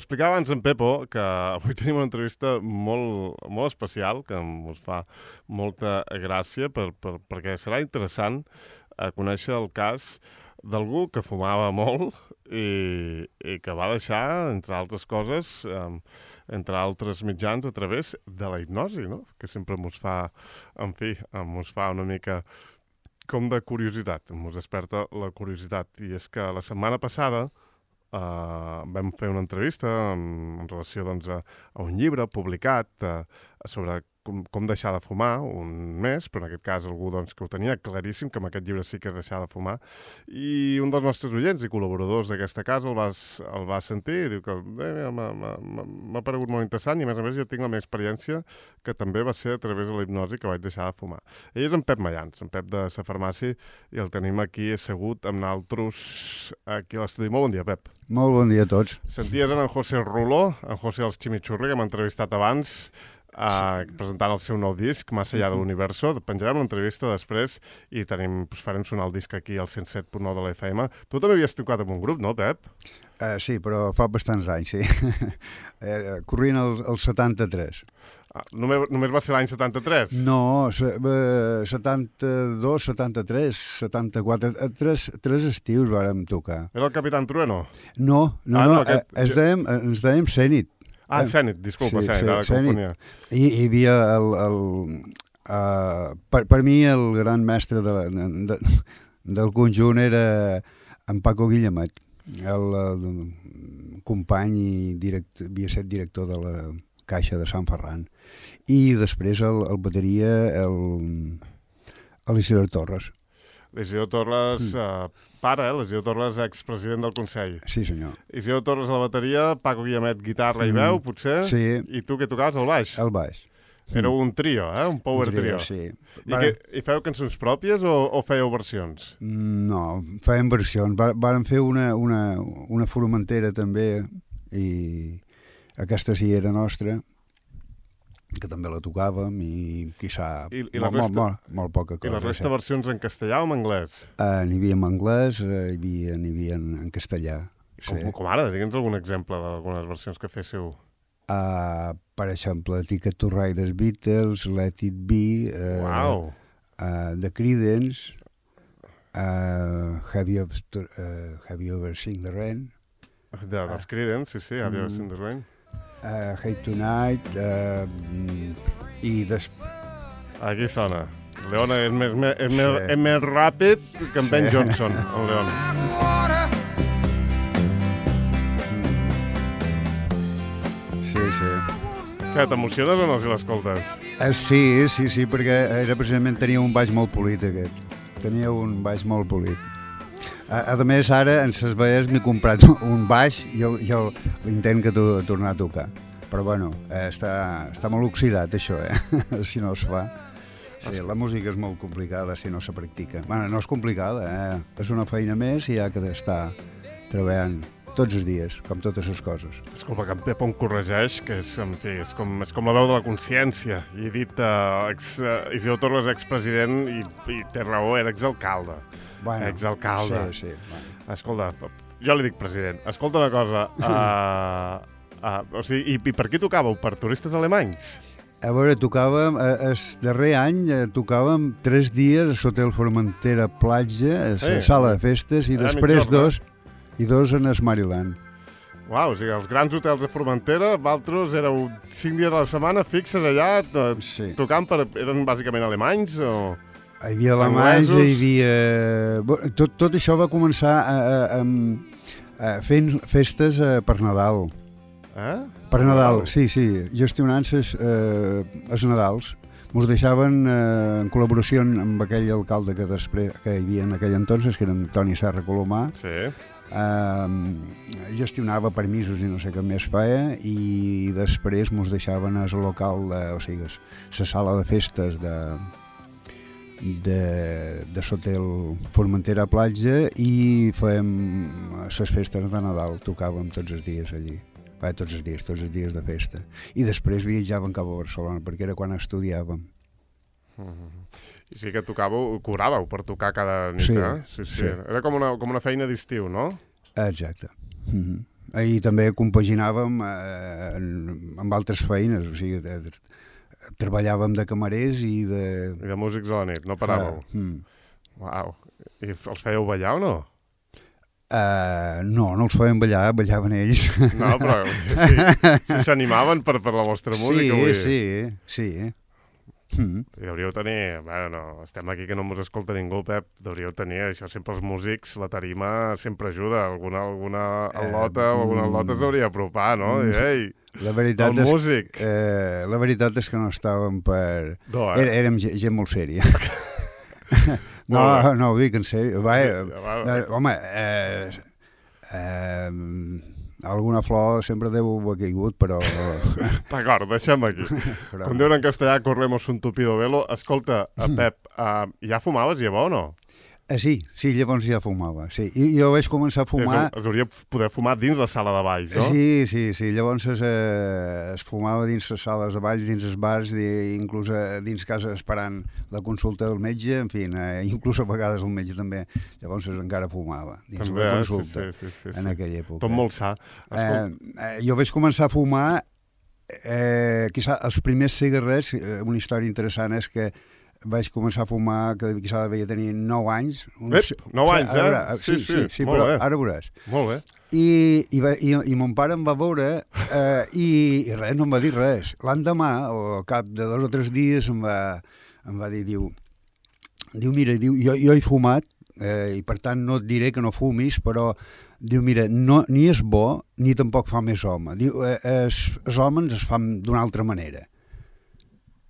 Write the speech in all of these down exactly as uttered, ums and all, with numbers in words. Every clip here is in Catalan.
explicava abans en Pepo, que avui tenim una entrevista molt, molt especial, que us fa molta gràcia, per, per, perquè serà interessant eh, conèixer el cas d'algú que fumava molt i, i que va deixar, entre altres coses, eh, entre altres mitjans, a través de la hipnosi, no? Que sempre mos fa, en fi, mos fa una mica com de curiositat, mos desperta la curiositat. I és que la setmana passada Uh, vam fer una entrevista en, en relació doncs, a, a un llibre publicat uh, sobre com, com deixar de fumar un mes, però en aquest cas algú doncs, que ho tenia claríssim, que amb aquest llibre sí que és deixar de fumar, i un dels nostres oients i col·laboradors d'aquesta casa el va, el va sentir i diu que eh, m'ha paregut molt interessant i a més a més jo tinc la meva experiència que també va ser a través de la hipnosi que vaig deixar de fumar. Ell és en Pep Mayans, en Pep de Sa Farmàcia, i el tenim aquí assegut amb naltros aquí a l'estudi. Molt bon dia, Pep. Molt bon dia a tots. Senties en José Ruló, en José els Chimichurri, que m'ha entrevistat abans, eh, sí. presentant el seu nou disc, Más allá de l'universo. Penjarem l'entrevista després i tenim, doncs, farem sonar el disc aquí al cent set punt nou de la F M. Tu també havies tocat amb un grup, no, Pep? Uh, sí, però fa bastants anys, sí. uh, corrient el, el setanta-tres. Ah, només, només va ser l'any setanta-tres? No, setanta-dos, setanta-tres, setanta-quatre, tres, tres estius vàrem tocar. Era el Capitán Trueno? No, no, ah, no, no aquest... es dèiem, ens dèiem Zenit. Ah, Zenit, disculpa, sí, Zenit, sí, Zenit. I hi havia el... el uh, per, per mi el gran mestre de la, de, del conjunt era en Paco Guillemet, el, el company i direct, havia estat director de la Caixa de Sant Ferran, i després el, el bateria el, el Isidor Torres. L'Isidor Torres, mm. eh, pare, eh? l'Isidor Torres, expresident del Consell. Sí, senyor. Isidor Torres a la bateria, Paco Guillemet, guitarra mm. i veu, potser? Sí. I tu que tocaves el baix? El baix. Era un trio, eh? Un power un trio. trio. Sí. I, que, I feu cançons pròpies o, o fèieu versions? No, fèiem versions. Vàrem fer una, una, una Formentera també, i aquesta sí era nostra, que també la tocàvem i quizà I, i molt, resta, molt, molt, molt poca cosa. I la resta versions en castellà o en anglès? Uh, n'hi havia en anglès, uh, hi havia, n'hi havia en, en castellà. Com, sí. com ara? Digue'ns algun exemple d'algunes versions que féssiu. Uh, per exemple, Ticket to Ride dels Beatles, Let It Be, uh, wow. uh, The Creedence, uh, Have You Ever, uh, have you ever Seen the Rain? De, dels Creedence, sí, sí, Have You Ever Seen the Rain? Uh, Hate Tonight, uh, i des... Aquí sona. Leona és més, és sí. més, és més ràpid que en sí. Ben Johnson, el Leona. Sí, sí. Què, t'emociones o no si l'escoltes? Uh, sí, sí, sí, perquè era precisament tenia un baix molt polit aquest. Tenia un baix molt polit. A, a més, ara, en ses veies, m'he comprat un baix i el, i el, l'intent que to, tornar a tocar. Però, bueno, eh, està, està molt oxidat, això, eh? Si no es fa. Sí, la música és molt complicada si no se practica. Bueno, no és complicada, eh? És una feina més i hi ha que estar treballant tots els dies, com totes les coses. Disculpa, que en Pep em corregeix, que és, en fi, és, com, és com la veu de la consciència. I he dit, uh, ex, uh, Isidor Torres, expresident, i, i té raó, era exalcalde. Bueno, exalcalde. Sí, sí. Bueno. Escolta, jo li dic president. Escolta una cosa, uh, uh, o sigui, i, i per qui tocàveu? Per turistes alemanys? A veure, tocàvem, el darrer any eh, tocàvem tres dies a l'Hotel Formentera Platja, a la eh, sala de festes, i eh, després dos, i dos en el Maryland. Uau, o sigui, els grans hotels de Formentera, vosaltres éreu cinc dies a la setmana fixes allà, to, sí. tocant per... Eren bàsicament alemanys o... Hi havia alemanys, hi havia... Tot, tot això va començar a, a, a, a fent festes per Nadal. Eh? Per Nadal, wow. sí, sí, gestionant ses, eh, els Nadals. Mos deixaven eh, en col·laboració amb aquell alcalde que, després, que hi havia en aquell entonces, que era Antoni Serra Colomà. Sí. Eh, gestionava permisos i no sé què més feia, i després mos deixaven al local, de, o sigui, la sala de festes de... de, de l'hotel Formentera Platja, i fèiem les festes de Nadal, tocàvem tots els dies allí. Va, tots els dies, tots els dies de festa. I després viatjàvem cap a Barcelona, perquè era quan estudiàvem. Mm-hmm. I sí que tocàveu, cobràveu per tocar cada nit, sí, eh? Sí, sí. sí. Era com una, com una feina d'estiu, no? Exacte. Mm-hmm. I també compaginàvem eh, amb altres feines, o sigui, de, de, treballàvem de camarers i de... I de músics a la nit, no paràveu? Uh, mm. Uau. I els fèieu ballar o no? Uh, no, no els feien ballar, ballaven ells. No, però sí, si s'animaven per, per la vostra música. Sí, vull dir. sí, sí. Mm. I hauríeu tenir, bueno, no, estem aquí que no mos escolta ningú, Pep, hauríeu tenir, això sempre els músics, la tarima sempre ajuda, alguna, alguna al·lota o alguna al·lota s'hauria apropar, no? I, ei, la veritat el és, músic. Eh, la veritat és que no estàvem per... No, eh? Era, érem gent, gent molt sèria. no, no, ho dic en sèrio. Va, eh, home, eh, eh, alguna flor sempre deu haver caigut, però... D'acord, deixem aquí. Però... Com diuen en castellà, corremos un tupido velo. Escolta, Pep, uh, ja fumaves llavors o no? Eh, sí, sí, llavors ja fumava, sí. I jo vaig començar a fumar... Es, es hauria poder fumar dins la sala de baix, no? Sí, sí, sí. Llavors es, eh, es fumava dins les sales de baix, dins els bars, de, inclús eh, dins casa esperant la consulta del metge, en fi, eh, inclús a vegades el metge també. Llavors es encara fumava dins també, la consulta, sí, sí, sí, sí, en sí. aquella època. Tot molt sa. Eh, eh, jo vaig començar a fumar, eh, quizà els primers cigarrets, eh, una història interessant és que vaig començar a fumar, que quizà devia tenir nou anys. Uns... Ep, nou anys, eh? Veure, sí, sí, sí, sí però bé. Ara veuràs. Molt bé. I, i, va, i, i mon pare em va veure eh, i, i res, no em va dir res. L'endemà, o al cap de dos o tres dies, em va, em va dir, diu, diu mira, diu, jo, jo he fumat, eh, i per tant no et diré que no fumis, però diu, mira, no, ni és bo ni tampoc fa més home. Diu, eh, els, els homes es fan d'una altra manera.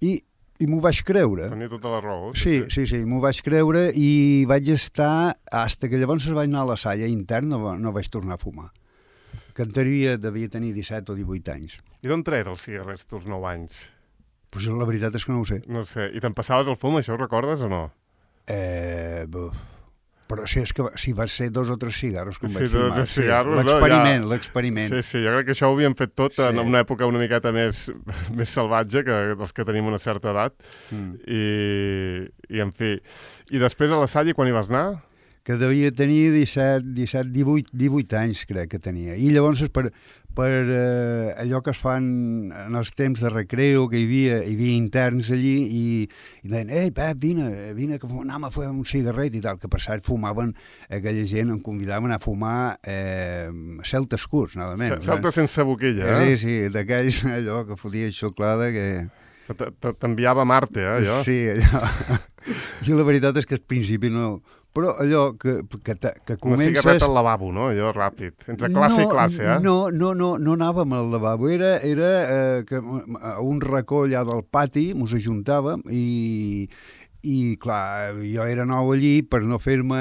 I I m'ho vaig creure. Tenia tota la raó. Sí, sí, sí, m'ho vaig creure i vaig estar, fins que llavors es vaig anar a la salla interna, no, no vaig tornar a fumar. Que en teoria devia tenir disset o divuit anys. I d'on treia els cigarrets dels nou anys? Pues la veritat és que no ho sé. No sé. I te'n passaves el fum, això ho recordes o no? Eh... Buf. Però sí, és que sí, va ser dos o tres cigarros que em sí, vaig fumar. Sí, l'experiment, no, ja... l'experiment. Sí, sí, jo crec que això ho havíem fet tot sí. en una època una miqueta més, més salvatge que els que tenim una certa edat. Mm. I, I, en fi, i després a la Salle, quan hi vas anar? Que devia tenir disset, disset, divuit, divuit anys, crec que tenia. I llavors, per, per eh, allò que es fan en els temps de recreo, que hi havia, hi havia interns allí, i, i deien, ei, Pep, vine, vine, que anem a fer un cigarret i tal, que per cert fumaven, aquella gent em convidaven a fumar eh, celtes curts, nada menys. Celtes eh? sense boquilla, eh? Sí, sí, d'aquells, allò que fotia xocolata, que... T'enviava a Marte, eh, allò? Sí, allò. I la veritat és que al principi no... Però allò que, que, que comences... Una cigarreta al lavabo, no? Allò ràpid. Entre classe no, i classe, eh? No, no, no, no anàvem al lavabo. Era, era eh, que a un racó allà del pati mos ajuntàvem i, i, clar, jo era nou allí, per no fer-me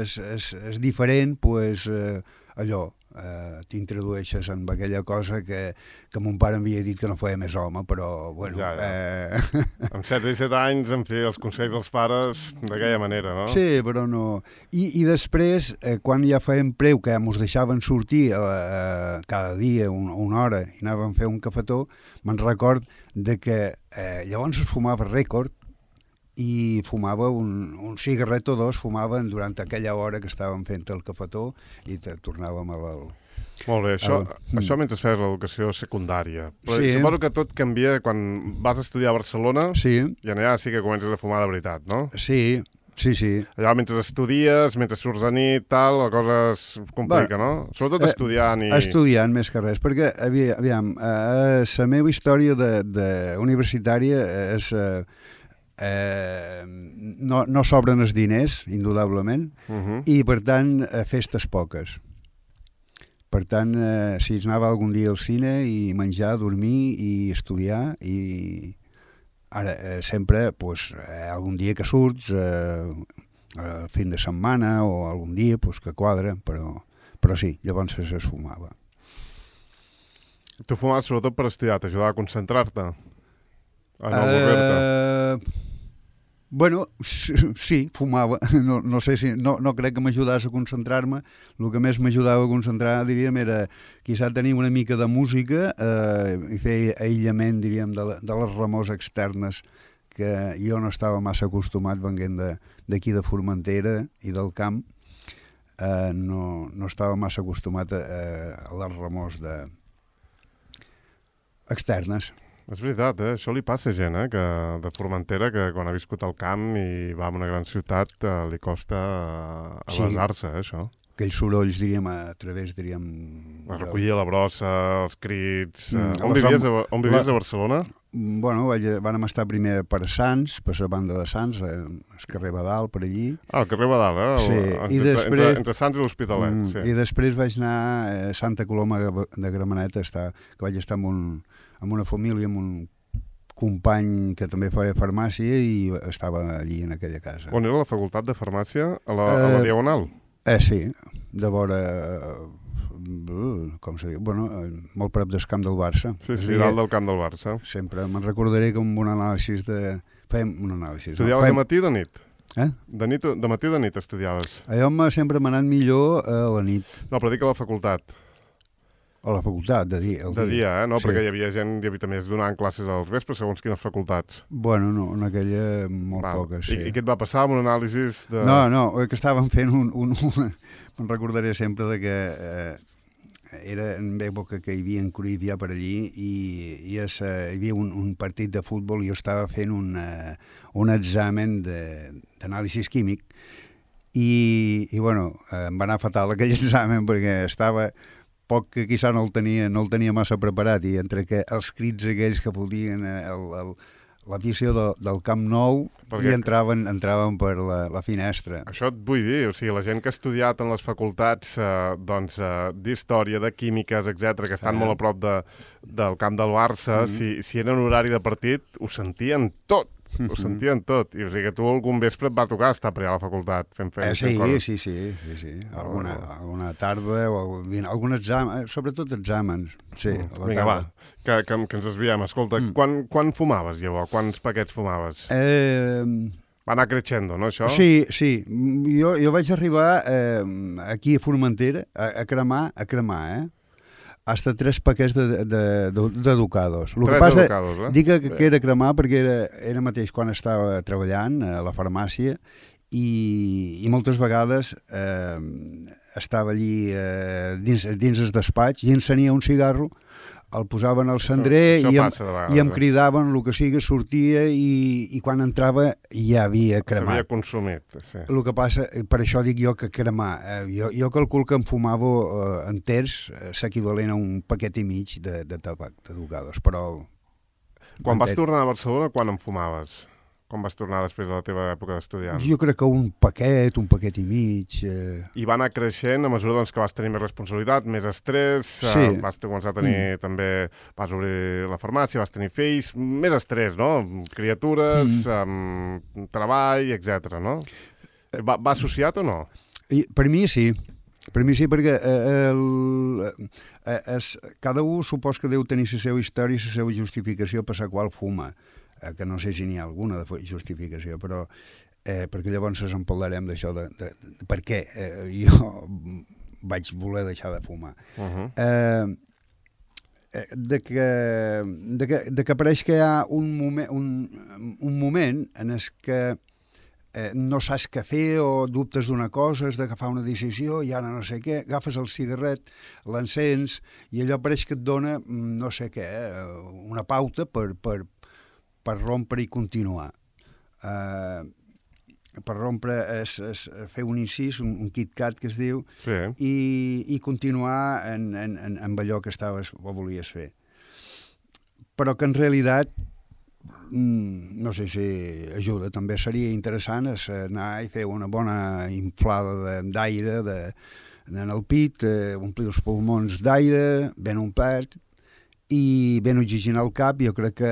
es, es, es diferent, pues, eh, allò, eh, t'introdueixes en aquella cosa que, que mon pare m'havia dit que no feia més home, però, bueno... Ja, ja. Eh... Amb set i set anys, en fi, els consells dels pares d'aquella manera, no? Sí, però no... I, i després, eh, quan ja fèiem preu, que mos deixaven sortir eh, cada dia una, una hora i anàvem a fer un cafetó, me'n record de que eh, llavors es fumava rècord i fumava un, un cigarret o dos, fumaven durant aquella hora que estàvem fent el cafetó i tornàvem a la... Molt bé, això, el... això mentre fes l'educació secundària. Però sí. Suposo que tot canvia quan vas a estudiar a Barcelona sí. i allà sí que comences a fumar de veritat, no? Sí, sí, sí. Allà mentre estudies, mentre surts a nit, tal, la cosa es complica, bueno, no? Sobretot estudiant i... Estudiant més que res, perquè, aviam, eh, la meva història de, de universitària és... Eh, Eh, no, no sobren els diners, indudablement, uh -huh. i per tant eh, festes poques. Per tant, eh, si es anava algun dia al cine i menjar, dormir i estudiar, i ara eh, sempre pues, eh, algun dia que surts, eh, eh, fin de setmana o algun dia pues, que quadra, però, però sí, llavors es fumava. Tu fumaves sobretot per estudiar, t'ajudava a concentrar-te? A no avorrir-te? Uh, bueno, sí, fumava. No, no sé si... No, no crec que m'ajudés a concentrar-me. El que més m'ajudava a concentrar, diríem, era quizà tenir una mica de música eh, i fer aïllament, diríem, de, de les remors externes que jo no estava massa acostumat venint d'aquí de, de Formentera i del camp. eh, no, no estava massa acostumat a, a les remors de... externes. És veritat, eh? Això li passa a gent, eh? Que, de Formentera, que quan ha viscut al camp i va a una gran ciutat eh, li costa eh, avasar-se, eh, això. Aquells sorolls, diríem, a través, diríem... La recollir la brossa, els crits... Eh, Mm, on, les vivies, hom- a, on vivies la- a Barcelona? Bueno, vaig, vam estar primer per Sants, per la banda de Sants, eh, al carrer Badal, per allí. Ah, al carrer Badal, eh? El- Sí, entre, i després- Entre, entre Sants i l'Hospitalet, Mm, sí. I després vaig anar a Santa Coloma de Gramenet, estar, que vaig estar amb, un, amb una família, amb un company que també feia farmàcia i estava allí en aquella casa. On era la facultat de farmàcia? A la, a la Eh, Diagonal? Eh, sí, de vora... Uh, com se diu? Bueno, eh, molt prop del camp del Barça. Sí, Es sí, deia- dalt del camp del Barça. Sempre me'n recordaré que amb un anàlisi de... Fèiem un anàlisi. Estudiaves de matí o de nit? Eh? De, nit, o- de matí o de nit estudiaves? Allò m'ha sempre m'ha anat millor a la nit, No, però dic a la facultat. a la facultat, de dia. El De dia, eh? No, Sí. perquè hi havia gent, hi havia també donant classes als vespres segons quines facultats. Bueno, no, en aquella molt Val. poques, I, sí. I què et va passar amb un anàlisi de... No, no, que estàvem fent un... un, un me'n recordaré sempre de que eh, era en època que hi havia en Cruyff ja per allí i, i es, eh, hi havia un, un partit de futbol i jo estava fent un, eh, un examen de- d'anàlisi químic i, i bueno, eh, em va anar fatal aquell examen perquè estava poc que quizà no el tenia, no el tenia massa preparat i entre que els crits aquells que fotien eh, el, el, la visió de, del Camp Nou Perquè- i entraven, entraven per la, la finestra. Això et vull dir, o sigui, la gent que ha estudiat en les facultats eh, doncs, eh, d'història, de químiques, etcètera, que estan Ah. molt a prop de, del camp del Barça, Mm. si, si era en horari de partit, ho sentien tot. Ho sentien tot. I o sigui que tu algun vespre et va tocar estar per allà a la facultat fent Eh, feines. sí, fent coses. sí, sí, sí, sí. Alguna, Oh. alguna tarda o bien, algun examen, sobretot exàmens. Sí, a la Vinga, va, tarda. que, que, que ens desviem. Escolta, Mm. quan, quan fumaves, llavors? Quants paquets fumaves? Eh, Va anar creixendo, no, això? sí, sí. Jo, jo vaig arribar eh, aquí a Formentera a, a cremar, a cremar, eh? Hasta tres paquets de, de, de, de Ducados. El que Tres passa, educados, eh? dic que, que era cremar perquè era, era mateix quan estava treballant a la farmàcia i, i moltes vegades eh, estava allí eh, dins, dins el despatx i encenia un cigarro, el posaven al cendrer Això- això i, em, passa de vegades, i em eh? cridaven el que sigui, sortia i, i quan entrava ja havia S'havia cremat. consumit, sí. El que passa, per això dic jo que cremar, eh, jo, jo calculo que em fumava eh, enters eh, s'equivalent a un paquet i mig de, de tabac, de Ducados, però... Quan vas enter- tornar a Barcelona, quan en fumaves? Quan vas tornar després de la teva època d'estudiant? Jo crec que un paquet, un paquet i mig... Eh... I va anar creixent a mesura doncs, que vas tenir més responsabilitat, més estrès, Sí. eh, vas començar a tenir mm. també, vas obrir la farmàcia, vas tenir fills, més estrès, no? Criatures, mm. um, treball, etcètera, no? Va, va associat o no? I, per mi sí, per mi sí, perquè eh, el, eh, es, cada un supos que deu tenir la seva història i la seva justificació per la qual fuma, eh, que no sé si n'hi ha alguna de justificació, però eh, perquè llavors ens en parlarem d'això, de, de, de per què eh, jo vaig voler deixar de fumar. Uh -huh. Eh, eh, de que, de que, de que pareix que hi ha un moment, un, un moment en el que eh, no saps què fer o dubtes d'una cosa, has d'agafar una decisió i ara no sé què, agafes el cigarret, l'encens i allò pareix que et dona mm, no sé què, eh, una pauta per, per, per rompre i continuar. Eh, per rompre és, és fer un incís, un, un KitKat que es diu, Sí. i, i continuar en, en, en, en allò que estaves o volies fer. Però que en realitat mm, no sé si ajuda, també seria interessant és anar i fer una bona inflada de- d'aire de, en el pit, eh, omplir els pulmons d'aire, ben omplit i ben oxigenar el cap. Jo crec que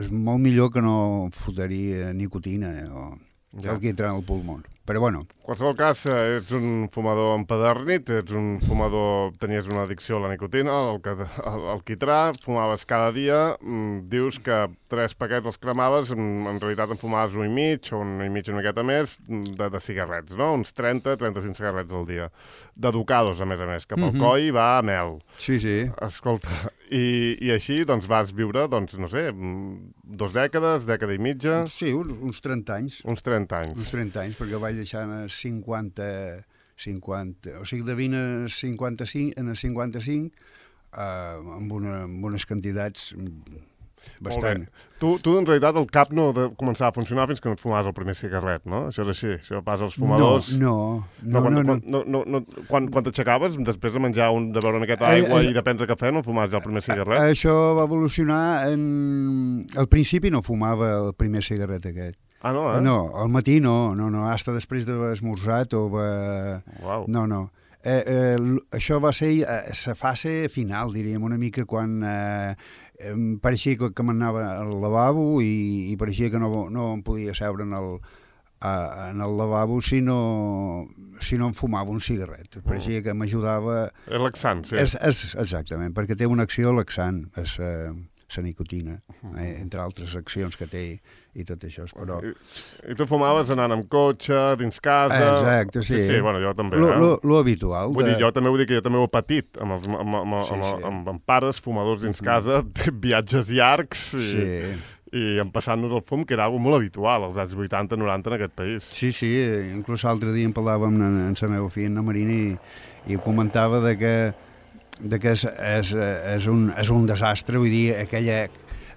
és molt millor que no fotria nicotina eh, o Ja. el que entra en el pulmó. Però bueno, En qualsevol cas, eh, ets un fumador empedernit, ets un fumador, tenies una addicció a la nicotina, al, ca- al, al quitrà, fumaves cada dia, mm, dius que tres paquets els cremaves, en, en realitat en fumaves un i mig, o un i mig una miqueta més, mm, de, de cigarrets, no? Uns trenta trenta-cinc cigarrets al dia. De Ducados, a més a més, que pel Mhm. coll va a mel. sí, sí. Escolta, i, i així doncs vas viure, doncs, no sé, mm, dos dècades, dècada i mitja, Sí, uns, uns trenta anys. uns trenta Uns anys. trenta anys, perquè vaig deixar cinquanta, cinquanta, o sigui, de vint a cinquanta-cinc, en a cinquanta-cinc, eh, amb, una, amb unes quantitats bastant. Tu, tu, en realitat, el cap no de començar a funcionar fins que no et fumaves el primer cigarret, no? Això és així, això passa als fumadors... No, no, no. Quan, no, no. Quan, no, no, no, quan, quan t'aixecaves, després de menjar, un, de beure una miqueta d'aigua eh, eh, i de prendre cafè, no fumaves ja el primer cigarret? Això va evolucionar en... Al principi no fumava el primer cigarret aquest. Ah, no, eh? No, al matí no, no, no, hasta després d'haver esmorzat o va... Uau. No, no. Eh, eh, això va ser eh, la fase final, diríem, una mica quan eh, em pareixia que, que m'anava al lavabo i, i pareixia que no, no em podia seure en el, a, en el lavabo si no, si no em fumava un cigarret. Pareixia que m'ajudava... És laxant, sí. És, és, exactament, perquè té una acció laxant, és eh, la nicotina, eh, entre altres accions que té i tot això. Però... I, I tu fumaves anant amb cotxe, dins casa... Exacte, sí. Sí, sí, bueno, jo també. Lo, eh? lo, lo habitual. Vull de... dir, jo també vull dir que jo també ho he patit amb, els, amb, amb, Sí, amb, sí. amb, amb pares, fumadors dins casa, viatges llargs i, Sí. i empassant-nos el fum, que era algo molt habitual als anys vuitanta noranta en aquest país. Sí, sí, inclús l'altre dia en parlàvem amb, amb la meva filla, en Marina, i, i comentava de que, de que és, és, és, un, és un desastre, vull dir, aquella,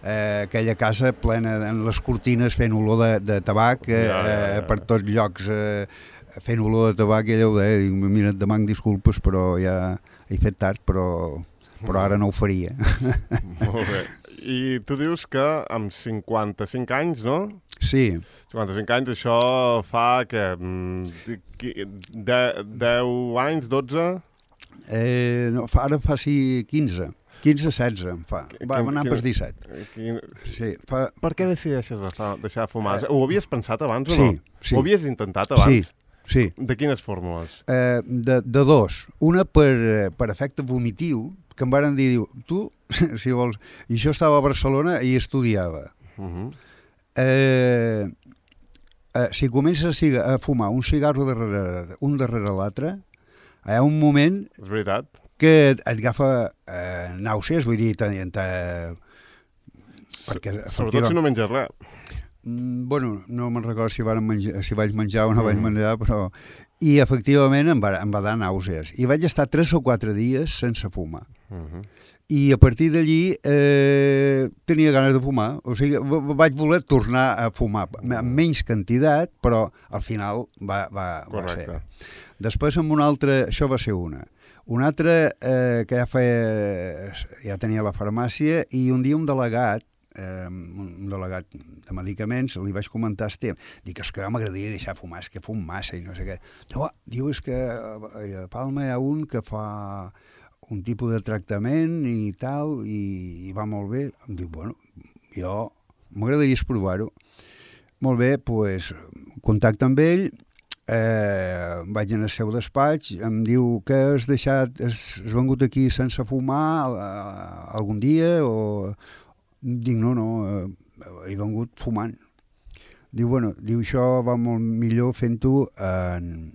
eh, aquella casa plena en les cortines fent olor de, de tabac, eh, Ja, ja, ja. per tots llocs eh, fent olor de tabac, i ella ho deia, dic, mira, et demanc disculpes, però ja he fet tard, però, però ara no ho faria. Molt bé. I tu dius que amb cinquanta-cinc anys, no? Sí. cinquanta-cinc anys, això fa que... deu anys, dotze? Eh, no, fa, ara fa sí quinze. quinze, setze em fa. Va, Quin- anar quin- per disset. Quin... Sí, fa... Per què decideixes de fa, deixar de fumar? Ho havies pensat abans o Sí, no? sí. Ho havies intentat abans? Sí, sí. De quines fórmules? Eh, de, de dos. Una per, eh, per efecte vomitiu, que em varen dir, diu, tu, si vols... I jo estava a Barcelona i estudiava. Uh -huh. Eh, eh, si comences a, ciga, a fumar un cigarro darrere, un darrere l'altre, hi ha un moment És veritat? que et, et agafa eh, nàusees, vull dir, te, te, perquè, Sobretot si no menges res. Mm, bueno, no me'n recordo si, menjar, si vaig menjar o no mm. vaig menjar, però... I efectivament em va, em va dar nàusees. I vaig estar tres o quatre dies sense fumar. Uh -huh. I a partir d'allí eh, tenia ganes de fumar. O sigui, vaig voler tornar a fumar amb menys quantitat, però al final va, va, va ser. Després amb una altra... Això va ser una. Una altra eh, que ja feia... Ja tenia la farmàcia i un dia un delegat eh, un delegat de medicaments, li vaig comentar el tema. Dic, és que m'agradaria deixar fumar, és que fum massa i no sé què. Diu, diu és que a Palma hi ha un que fa un tipus de tractament i tal, i, i va molt bé. Em diu, bueno, jo m'agradaria provar-ho. Molt bé, doncs, pues, contacte amb ell, eh, vaig anar al seu despatx, em diu que has deixat, has, has vengut aquí sense fumar eh, algun dia o... Dic, no, no, eh, he vengut fumant. Diu, bueno, diu, això va molt millor fent-ho en,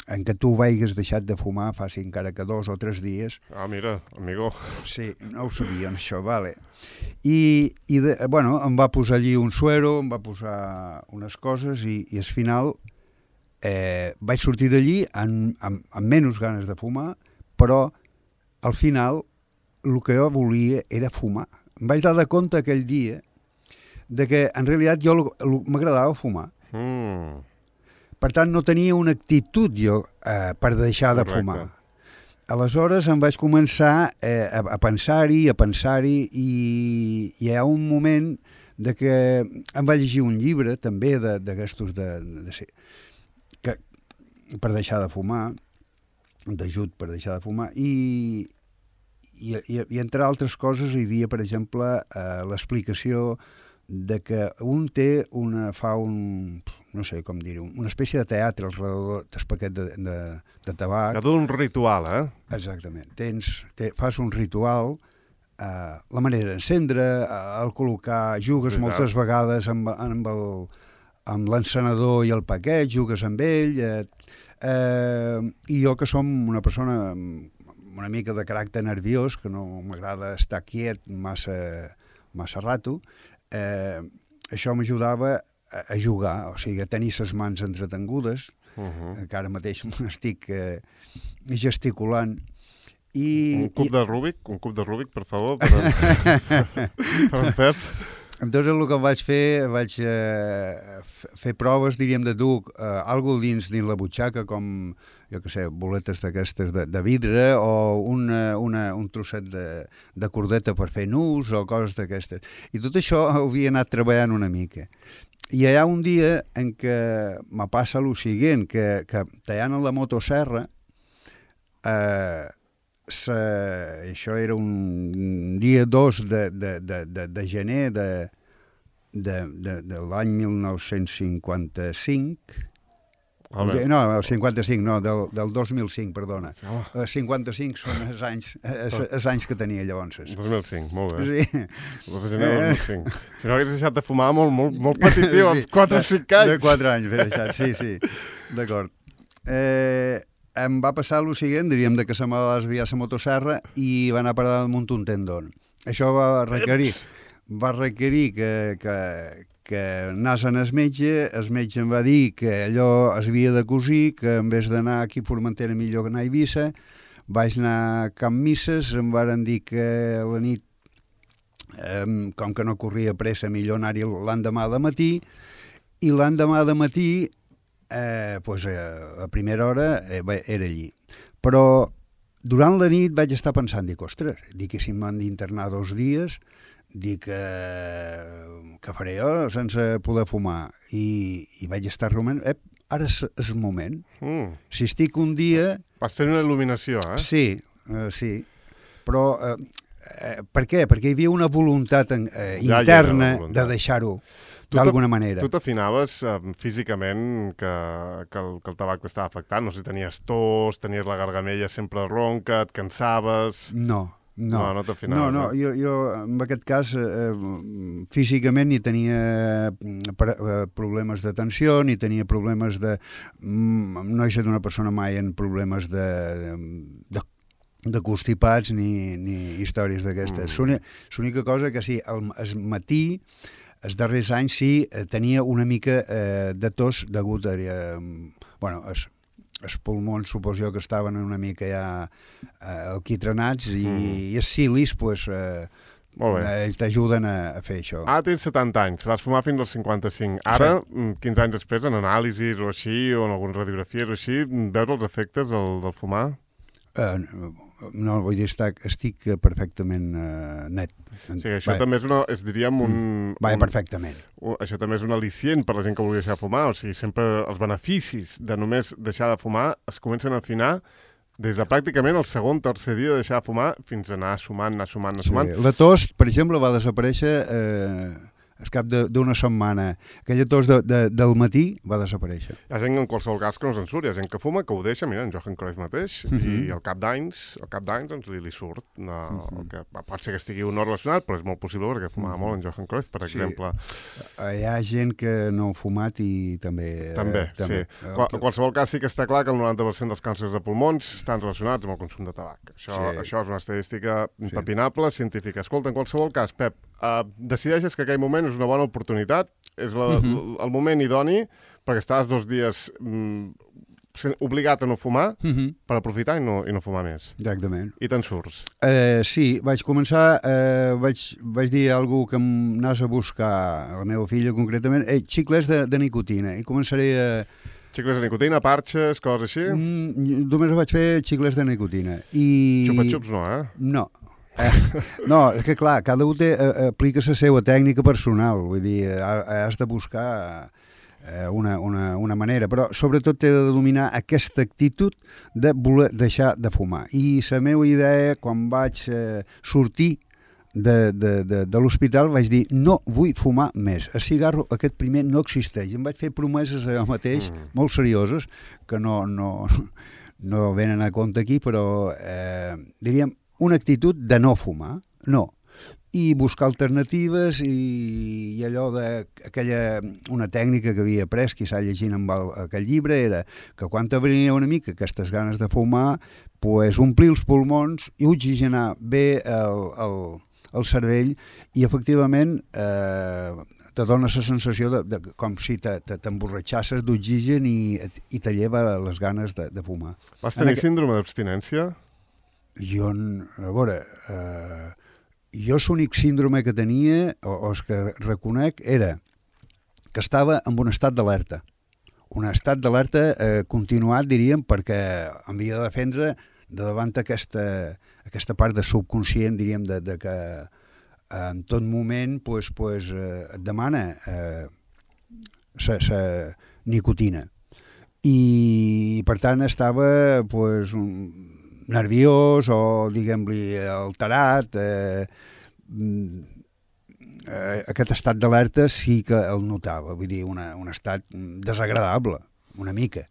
en que tu vaigues deixat de fumar fa encara que dos o tres dies. Ah, mira, amigo. Sí, no ho sabien, això, vale. I, i de, bueno, em va posar allí un suero, em va posar unes coses i, i al final eh, vaig sortir d'allí amb, amb, amb menys ganes de fumar, però al final el que jo volia era fumar. Em vaig dar de compte aquell dia de que en realitat jo m'agradava fumar. Mm. Per tant, no tenia una actitud jo eh, per deixar Correcte. de fumar. Aleshores em vaig començar eh, a, a pensar-hi, a pensar-hi i, i hi ha un moment de que em vaig llegir un llibre també d'aquestos de, de, de ser, que, per deixar de fumar, d'ajut per deixar de fumar i I, i, i entre altres coses hi havia, per exemple, eh, l'explicació de que un té una, fa un, no sé com dir-ho, una espècie de teatre al redador del paquet de, de, de tabac. Que tot un ritual, eh? Exactament. Tens, te, fas un ritual, eh, la manera d'encendre, eh, el col·locar, jugues Sí, moltes clar. vegades amb, amb el amb l'encenedor i el paquet, jugues amb ell, eh, eh, i jo que som una persona una mica de caràcter nerviós, que no m'agrada estar quiet massa, massa rato, eh, això m'ajudava a, a jugar, o sigui, a tenir les mans entretengudes, uh -huh. que ara mateix m'estic eh, gesticulant. I, un cub i... de Rubik, un cub de Rubik, per favor, per en, per en Pep. Entonces el que vaig fer, vaig eh, fer proves, diríem, de dur eh, algo dins dins la butxaca, com, jo què sé, boletes d'aquestes de, de vidre o una, una, un trosset de, de cordeta per fer nus o coses d'aquestes. I tot això ho havia anat treballant una mica. I hi ha un dia en què me passa el següent, que, que tallant en la motosserra, eh, Se, això era un dia dos de, de, de, de, de gener de, de, de, de l'any mil nou-cents cinquanta-cinc. Home. No, el cinquanta-cinc, no, del, del dos mil cinc, perdona. Home. El cinquanta-cinc són els anys, els, els anys que tenia llavors. dos mil cinc, molt bé. Sí. dos de gener del dos mil cinc. Si no hagués deixat de fumar molt, molt, molt petit, tio, amb quatre o cinc anys. De quatre anys, he deixat, sí, sí. D'acord. Eh... Em va passar el següent, diríem, de que se m'ha desviat la motosserra i va anar a parar damunt un tendon. Això va requerir, va requerir que, que, que anés en el metge, el metge em va dir que allò es havia de cosir, que en vez d'anar aquí a Formentera millor que anar a Eivissa. Vaig anar a Camp Misses, em varen dir que la nit, eh, com que no corria pressa, millor anar-hi l'endemà de matí, i l'endemà de matí Eh, pues, eh, a primera hora eh, era allí. Però durant la nit vaig estar pensant, dic, ostres, dic que si m'han d'internar dos dies, dic, eh, què faré jo sense poder fumar? I, i vaig estar rumant, eh, ara és, és el moment. Mm. Si estic un dia... Vas tenir una il·luminació, eh? Sí, eh, sí. Però eh, eh, per què? Perquè hi havia una voluntat eh, ja interna voluntat. de deixar-ho d'alguna manera. Tu t'afinaves eh, físicament que, que, el, que el tabac t'estava afectant? No sé si tenies tos, tenies la gargamella sempre ronca, et cansaves... No, no. No, no t'afinaves. No, no, jo, jo en aquest cas eh, físicament ni tenia eh, problemes de tensió, ni tenia problemes de... No he estat una persona mai en problemes de... de de constipats ni, ni històries d'aquestes. Mm. L'única cosa que sí, el, el matí, els darrers anys sí, tenia una mica eh, de tos degut a... Eh, bueno, els, els pulmons suposo jo que estaven una mica ja eh, alquitranats i, mm. i els cilis, pues, eh, eh, t'ajuden a, a fer això. Ah, tens setanta anys, vas fumar fins als cinquanta-cinc. Ara, sí. quinze anys després, en anàlisis o així, o en algunes radiografies o així, veus els efectes del, del fumar? Uh, no, vull dir, estic, estic perfectament uh, net. Sí, això va. També és, una, és diríem, un... Va, un, perfectament. Un, això també és un al·licient per la gent que vulgui deixar de fumar, o sigui, sempre els beneficis de només deixar de fumar es comencen a afinar des de pràcticament el segon, tercer dia de deixar de fumar fins a anar sumant, anar sumant, anar sumant. Sí. La tos, per exemple, va desaparèixer... Eh... al cap d'una setmana. Aquella tos de, de, del matí va desaparèixer. Hi ha gent en qualsevol cas que no se'n surt, hi ha gent que fuma, que ho deixa, mira, en Johan Cruyff mateix, uh -huh. i al cap d'anys, al cap d'anys doncs li, li surt. No, uh -huh. que pot ser que estigui un no relacionat, però és molt possible perquè fumava uh -huh. molt en Johan Cruyff, per sí. exemple. Hi ha gent que no ha fumat i també... També, eh, també. sí. Qual, en qualsevol cas sí que està clar que el noranta per cent dels càncers de pulmons estan relacionats amb el consum de tabac. Això, sí. això és una estadística impepinable, sí. científica. Escolta, en qualsevol cas, Pep, uh, decideixes que aquell moment és una bona oportunitat, és la, uh -huh. el moment idoni perquè estàs dos dies mm, obligat a no fumar uh -huh. per aprofitar i no, i no fumar més. Exactament. I te'n surts. Eh, sí, vaig començar, eh, vaig, vaig dir a algú que m'anàs a buscar, a la meva filla concretament, eh, xiclets de, de nicotina, i començaré a... Xicles de nicotina, parxes, coses així? Mm, només vaig fer xiclets de nicotina. I... Xupa-xups no, eh? No. Eh, no, és que clar, cada un té, eh, aplica la seva tècnica personal, vull dir, has de buscar eh, una, una, una manera, però sobretot t'he de dominar aquesta actitud de voler deixar de fumar. I la meva idea, quan vaig eh, sortir de, de, de, de l'hospital, vaig dir, no vull fumar més, el cigarro aquest primer no existeix. Em vaig fer promeses a jo mateix, mm. molt serioses, que no, no, no venen a compte aquí, però eh, diríem, una actitud de no fumar, no, i buscar alternatives i, i allò d'aquella, una tècnica que havia après, quizà llegint amb el, aquell llibre, era que quan t'abrenia una mica aquestes ganes de fumar, pues, omplir els pulmons i oxigenar bé el, el, el cervell i efectivament eh, te dona la sensació de, de, com si t'emborratxasses d'oxigen i, i te lleva les ganes de, de fumar. Vas tenir aqu... síndrome d'abstinència? Jo, a veure, eh, jo l'únic síndrome que tenia, o, o el que reconec, era que estava en un estat d'alerta. Un estat d'alerta eh, continuat, diríem, perquè havia de defendre de davant aquesta, aquesta part de subconscient, diríem, de, de que en tot moment pues, pues, eh, et demana eh, la nicotina. I, per tant, estava pues, un, nerviós o, diguem-li, alterat. Eh, eh, aquest estat d'alerta sí que el notava, vull dir, una, un estat desagradable, una mica.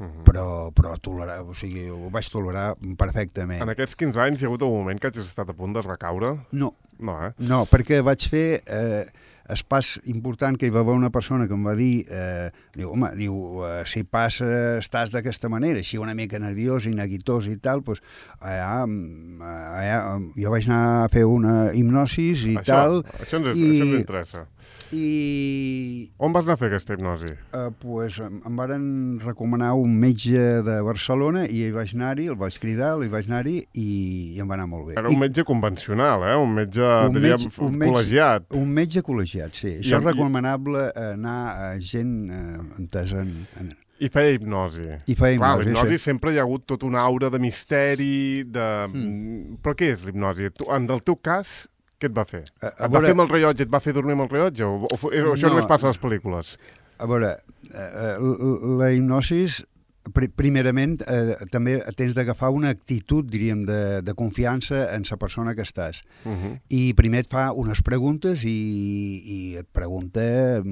Uh-huh. però, però tolerar, o sigui, ho vaig tolerar perfectament. En aquests quinze anys hi ha hagut un moment que hagis estat a punt de recaure? No. No, eh? No, perquè vaig fer eh, el pas important que hi va haver una persona que em va dir, eh, diu, home, diu, eh, si passa, estàs d'aquesta manera, així una mica nerviós i neguitós i tal, doncs allà, allà, jo vaig anar a fer una hipnosis i això, tal. Això ens, i, això ens interessa. I... On vas anar a fer aquesta hipnosi? Eh, pues, em, em varen recomanar un metge de Barcelona i hi vaig anar-hi, el vaig cridar, li vaig anar-hi i, i em va anar molt bé. Era un I, metge convencional, eh? Un metge, un diríem, metge, un metge col·legiat. Un metge col·legiat, sí. I Això amb, és recomanable anar a gent eh, entesa en, en... I feia hipnosi. I feia Clar, hipnosi, l'hipnosi sí. sempre hi ha hagut tot una aura de misteri, de... Mm. Però què és l'hipnosi? En el teu cas, què et va fer? A, a et va veure... fer amb el rellotge, et va fer dormir amb el rellotge? O, o, o, o això no, només passa a les pel·lícules? A veure, eh, la hipnosis, pr primerament, eh, també tens d'agafar una actitud, diríem, de, de confiança en la persona que estàs. Uh -huh. I primer et fa unes preguntes i, i et pregunta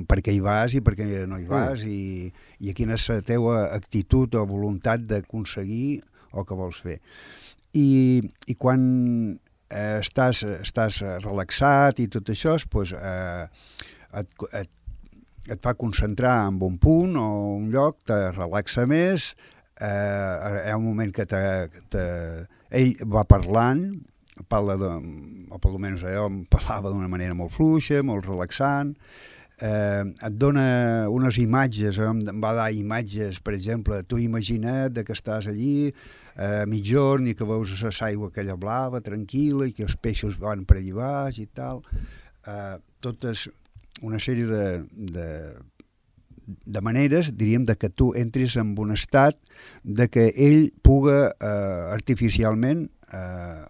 per què hi vas i per què no hi vas, uh. i, i quina és la teva actitud o voluntat d'aconseguir el que vols fer. I, i quan eh, estàs, estàs relaxat i tot això, doncs, eh, et, et, et fa concentrar en un punt o un lloc, te relaxa més, eh, hi ha un moment que te, te, ell va parlant, parla de, o per almenys jo em parlava d'una manera molt fluixa, molt relaxant, eh, et dona unes imatges, em va dar imatges, per exemple, tu imagina't que estàs allí a eh, mitjorn i que veus l'aigua aquella blava, tranquil·la, i que els peixos van per allà baix i tal. Eh, totes una sèrie de, de, de maneres, diríem, de que tu entris en un estat de que ell puga eh, artificialment eh,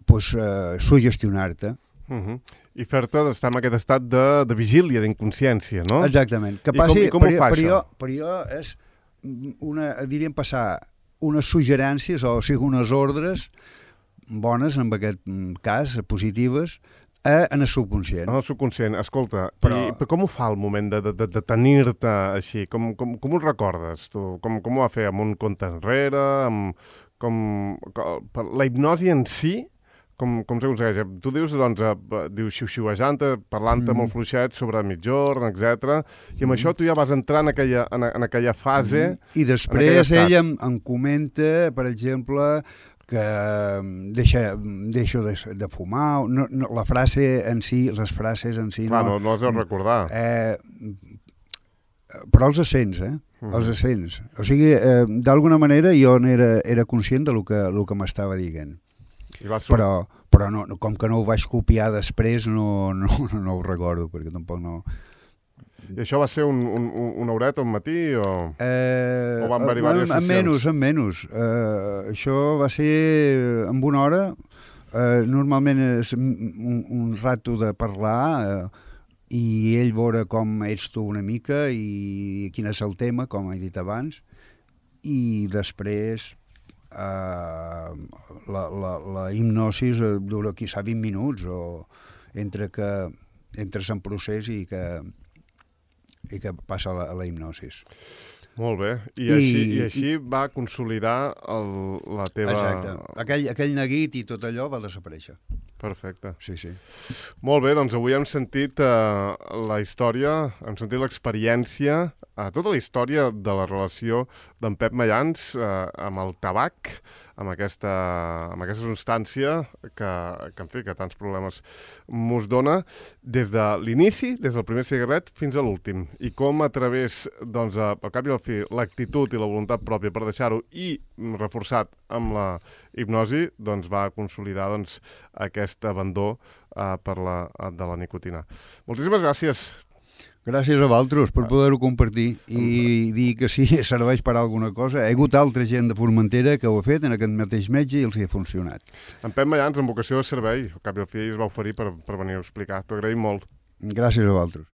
pues, eh, sugestionar-te. Uh -huh. I fer-te d'estar en aquest estat de, de vigília, d'inconsciència, no? Exactament. Que I passi, com, i com per, ho fa, per això? Jo, per jo és, una, diríem, passar unes suggerències, o sigui, unes ordres bones, en aquest cas, positives, a, en el subconscient. En el subconscient. Escolta, però... i com ho fa el moment de, de, de tenir-te així? Com, com, com ho recordes, tu? Com, com ho va fer? Amb un compte enrere? Amb, com, com, la hipnosi en si, com, com s'aconsegueix? Tu dius, doncs, dius xiu-xiuejant, parlant-te mm. molt fluixet sobre mitjorn, etcètera. I amb mm. això tu ja vas entrar en aquella, en, en aquella fase... Mm. I després ell em, em comenta, per exemple, que deixa, deixo de, de fumar, no, no, la frase en si, les frases en si... Clar, no, no has de recordar. Eh, però els accents, eh? Mm. Els accents. O sigui, eh, d'alguna manera jo era, era conscient del que, del que m'estava dient. I va però però no, com que no ho vaig copiar després, no, no, no ho recordo, perquè tampoc no... I això va ser un, un, una horeta, un matí, o, eh, o van haver-hi diverses en, en sessions? menys, en menys. Eh, això va ser en una hora. Eh, normalment és un, un rato de parlar eh, i ell veure com ets tu una mica i quin és el tema, com he dit abans, i després eh, la, la, la hipnosis dura quizà vint minuts, o entre que entres en procés i que i que passa a la, a la hipnosis. Molt bé. I, I així, i així i, va consolidar el, la teva... Exacte. Aquell, aquell neguit i tot allò va desaparèixer. Perfecte. Sí, sí. Molt bé, doncs avui hem sentit uh, la història, hem sentit l'experiència a tota la història de la relació d'en Pep Mayans eh, amb el tabac, amb aquesta, amb aquesta substància que, que, en fi, que tants problemes mos dona, des de l'inici, des del primer cigarret fins a l'últim. I com a través, doncs, a, al cap i al fi, l'actitud i la voluntat pròpia per deixar-ho i reforçat amb la hipnosi, doncs va consolidar doncs, aquest abandó eh, per la, de la nicotina. Moltíssimes gràcies. Gràcies a vosaltres per poder-ho compartir i dir que sí, serveix per alguna cosa. Hi ha hagut altra gent de Formentera que ho ha fet en aquest mateix metge i els hi ha funcionat. En Pep Mayans, amb vocació de servei, al cap i al fi es va oferir per, per venir a explicar. T'ho agraïm molt. Gràcies a vosaltres.